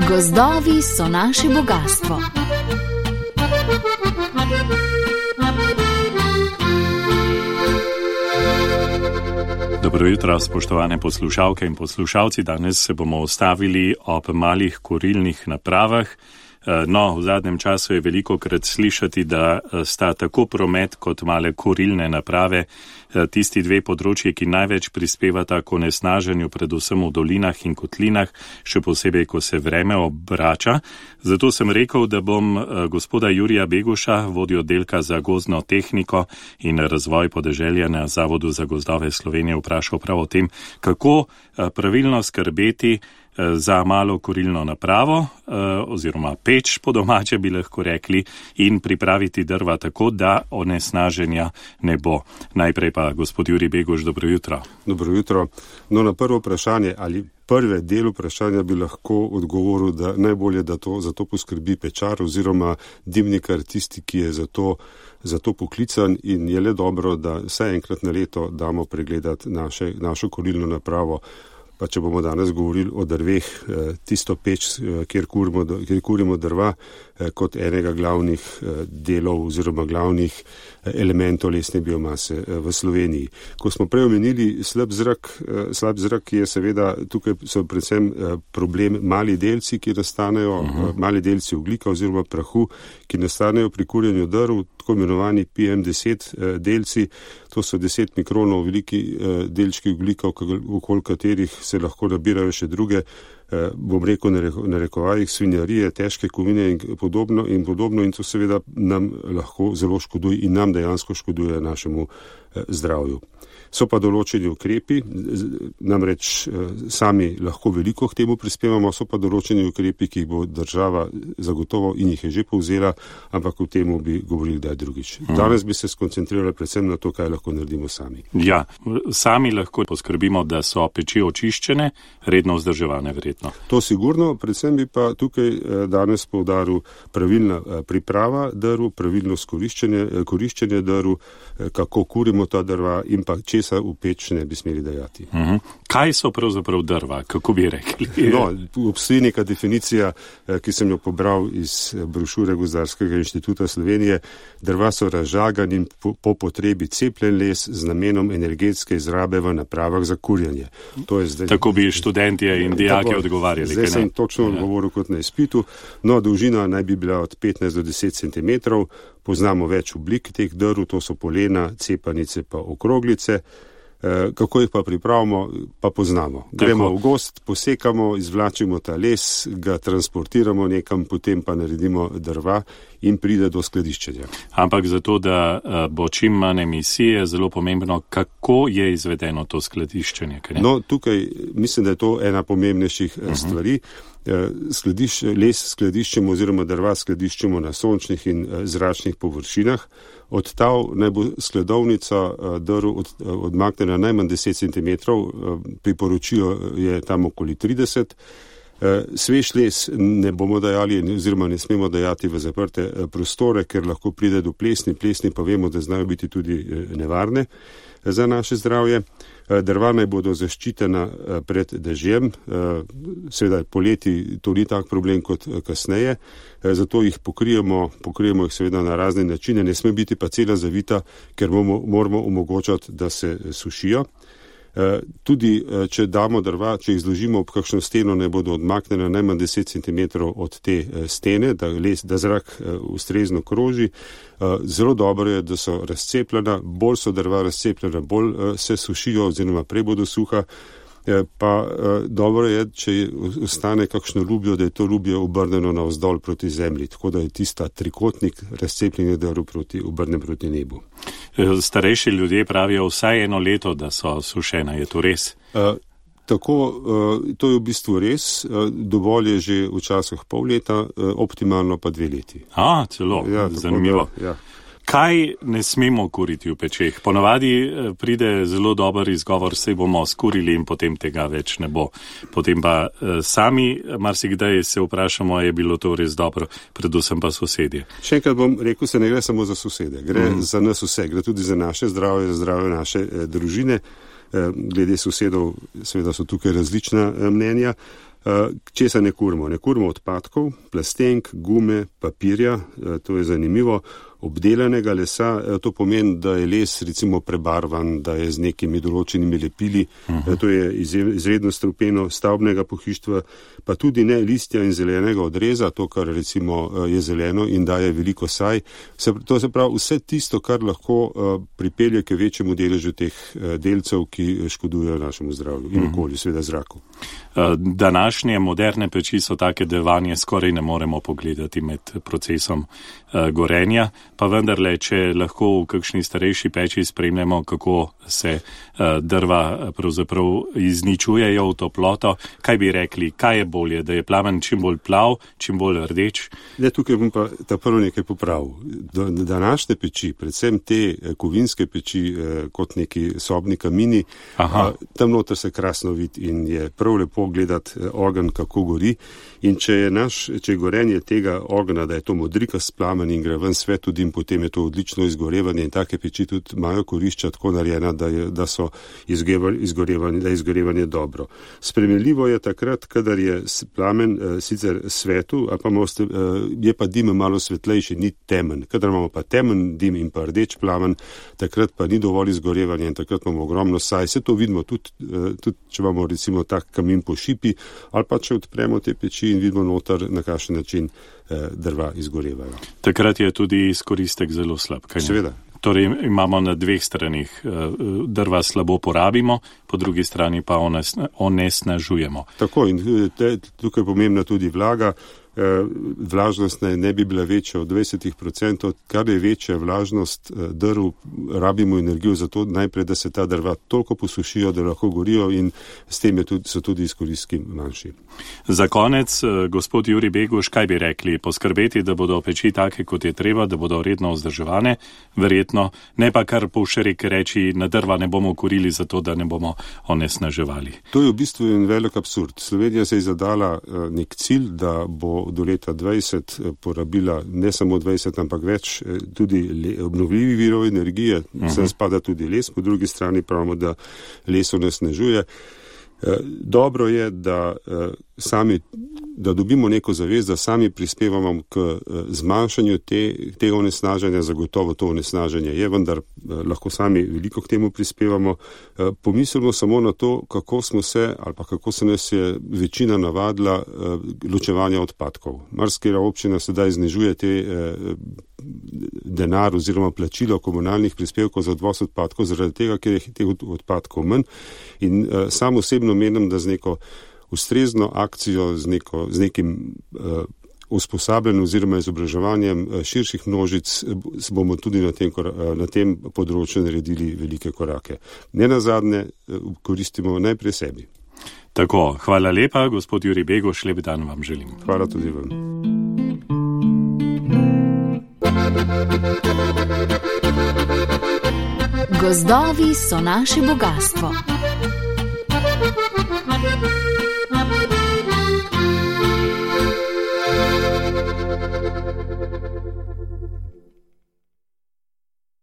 Gozdovi so naše bogastvo. Dobro jutro, spoštovane poslušalke in poslušalci. Danes se bomo ustavili ob malih kurilnih napravah. No, v zadnjem času je velikokrat slišati, da sta tako promet kot male kurilne naprave tisti dve področji, ki največ prispevata k onesnaženju, predvsem v dolinah in kotlinah, še posebej, ko se vreme obrača. Zato sem rekel, da bom gospoda Jurija Beguša, vodjo oddelka za gozdno tehniko in razvoj podeželja na Zavodu za gozdove Slovenije, vprašal prav o tem, kako pravilno skrbeti za malo kurilno napravo oziroma peč po domače bi lahko rekli in pripraviti drva tako, da onesnaženja ne bo. Najprej pa gospod Jurij Beguš, dobro jutro. Dobro jutro. No, na prvo vprašanje ali prve del vprašanja bi lahko odgovoril, da najbolje, da za to poskrbi pečar oziroma dimnikar, tisti, ki je za to poklican, in je le dobro, da vsaj enkrat na leto damo pregledati našo kurilno napravo. Pa če bomo danes govorili o drveh, tisto peč, kjer kurimo drva, kot enega glavnih delov oziroma glavnih elementov lesne biomase v Sloveniji. Ko smo prej omenili slab zrak je seveda, tukaj so predvsem problem mali delci, ki nastanejo, mali delci ogljika oziroma prahu, ki nastanejo pri kurjenju drv, tako imenovani PM10 delci. To so 10 mikronov veliki delčki ogljika, okoli katerih se lahko nabirajo še druge, bom rekel na rekovajih, svinjarije, težke kovine in podobno, in to seveda nam lahko zelo škoduje in nam dejansko škoduje našemu zdravju. So pa določeni ukrepi, namreč sami lahko veliko k temu prispevamo, so pa določeni ukrepi, ki jih bo država zagotovo in jih je že povzela, ampak o temu bi govorili kdaj drugič. Danes bi se skoncentrirali predvsem na to, kaj lahko naredimo sami. Ja, sami lahko poskrbimo, da so peči očiščene, redno vzdrževane verjetno. To sigurno, predvsem bi pa tukaj danes poudaril pravilna priprava drv, pravilno koriščenje drv, kako kurimo ta drva in pa česa v peč ne bi smeli dajati. Kaj so pravzaprav drva, kako bi rekli? No, obstoji neka definicija, ki sem jo pobral iz brošure Gozdarskega inštituta Slovenije. Drva so razžagan in po potrebi cepljen les z namenom energetske izrabe v napravah za kurjenje. Tako bi študentje in dijaki odgovarjali. Zdaj sem točno odgovoril kot na izpitu. No, dolžina naj bi bila od 15 do 10 cm. Poznamo več oblik teh drv, to so polena, cepanice pa okroglice. Kako jih pa pripravimo, pa poznamo. Gremo v gozd, posekamo, izvlačimo ta les, ga transportiramo nekam, potem pa naredimo drva in pride do skladiščenja. Ampak zato, da bo čim manj emisije, zelo pomembno, kako je izvedeno to skladiščenje. No, tukaj mislim, da je to ena pomembnejših stvari. Les skladiščemo oziroma drva skladiščemo na sončnih in zračnih površinah. Od tav naj bo skladovnica drv odmaknjena najmanj 10 cm, priporočilo je tam okoli 30. Svež les ne bomo dajali oziroma ne smemo dajati v zaprte prostore, ker lahko pride do plesni. Plesni pa vemo, da znajo biti tudi nevarne za naše zdravje. Drva naj bodo zaščitena pred dežjem, seveda poleti to ni tak problem kot kasneje, zato jih pokrijemo jih seveda na razne načine, ne sme biti pa cela zavita, ker moramo omogočati, da se sušijo. Tudi, če damo drva, če jih zložimo ob kakšno steno, ne bodo odmaknjene najmanj 10 cm od te stene, da zrak ustrezno kroži. Zelo dobro je, da so razcepljena, bolj so drva razcepljena, bolj se sušijo oziroma prej bodo suha. Pa dobro je, če ostane kakšno lubjo, da je to lubje obrnjeno navzdol proti zemlji, tako da je tista trikotnik razcepljenja drv obrnen proti nebu. Starejši ljudje pravijo vsaj 1 leto, da so sušena, je to res? Tako, to je v bistvu res, dovolj je že včasih pol leta, optimalno pa 2 leti. Celo, ja, zanimivo. Ja. Kaj ne smemo kuriti v pečeh? Ponavadi pride zelo dober izgovor, saj bomo skurili in potem tega več ne bo. Potem pa sami marsikdaj se vprašamo, je bilo to res dobro, predvsem pa sosedje. Še enkrat bom rekel, se ne gre samo za sosede, gre za nas vse, gre tudi za naše zdravje, za zdravje naše družine. Glede sosedov, seveda so tukaj različna mnenja. Česa ne kurimo? Ne kurimo odpadkov, plastenk, gume, papirja, to je zanimivo, obdelanega lesa, to pomeni, da je les recimo prebarvan, da je z nekimi določenimi lepili, to je izredno strupeno, stavbnega pohištva, pa tudi ne listja in zelenega odreza, to, kar recimo je zeleno in daje veliko saj. To se pravi vse tisto, kar lahko pripelje k večjemu deležu teh delcev, ki škodujejo našemu zdravju in okolju, seveda zraku. Današnje moderne peči so take, da vanje skoraj ne moremo pogledati med procesom gorenja, pa vendarle, če lahko v kakšni starejši peči spremljamo, kako se drva pravzaprav izničujejo v toploto, kaj bi rekli, kaj je bolje, da je plamen čim bolj plav, čim bolj rdeč? Tukaj bom pa ta prvo nekaj popravil. Današnje peči, predvsem te kovinske peči kot neki sobni kamini, tam noter se krasno vidi in je prav lepo gledati ogenj, kako gori. In če je gorenje tega ognja, da je to modrikast plamen in gre ven svet tudi, potem je to odlično izgorevanje in take peči tudi imajo korišča tako narejena, da je izgorevanje dobro. Spremenljivo je takrat, kadar je plamen sicer svetu, je pa dim malo svetlejši, ni temen. Kadar imamo pa temen dim in pa rdeč plamen, takrat pa ni dovolj izgorevanja in takrat imamo ogromno saj. Vse to vidimo tudi če imamo recimo tak kamin po šipi, ali pa če odpremo te peči in vidimo noter, na kakšen način drva izgorevajo. Takrat je tudi izkoristek zelo slab, kaj ne? Seveda. Torej imamo na dveh stranih, drva slabo porabimo, po drugi strani pa onesnažujemo. Tako, in tukaj je pomembna tudi vlaga. Vlažnost ne bi bila večja od 20%, kar je večja vlažnost drv, rabimo energijo za to najprej, da se ta drva toliko posušijo, da lahko gorijo in s tem so tudi izkoristki manjši. Za konec, gospod Jurij Beguš, kaj bi rekli? Poskrbeti, da bodo peči take, kot je treba, da bodo redno vzdrževane, verjetno, ne pa kar povšerik reči, na drva ne bomo kurili zato, da ne bomo onesnaževali. To je v bistvu en velik absurd. Slovenija se je zadala nek cilj, da bo do leta 20 porabila ne samo 20, ampak več tudi obnovljivih virov energije, sem spada tudi les, po drugi strani pravimo, da les onesnažuje. Dobro je, da dobimo neko zavest, da sami prispevamo k zmanjšanju tega onesnaženja, zagotovo to onesnaženje je, vendar lahko sami veliko k temu prispevamo. Pomislimo samo na to, kako se nas je večina navadila ločevanja odpadkov. Marsikatera občina sedaj znižuje denar oziroma plačilo komunalnih prispevkov za odvoz odpadkov, zaradi tega, ker je teh odpadkov manj. In sam osebno menim, da z neko ustrezno akcijo, z nekim usposabljanjem oziroma izobraževanjem širših množic bomo tudi na tem področju naredili velike korake. Nenazadnje koristimo najprej sebi. Tako, hvala lepa, gospod Jurij Beguš, lep dan vam želim. Hvala tudi vam. Gozdovi so naše bogastvo.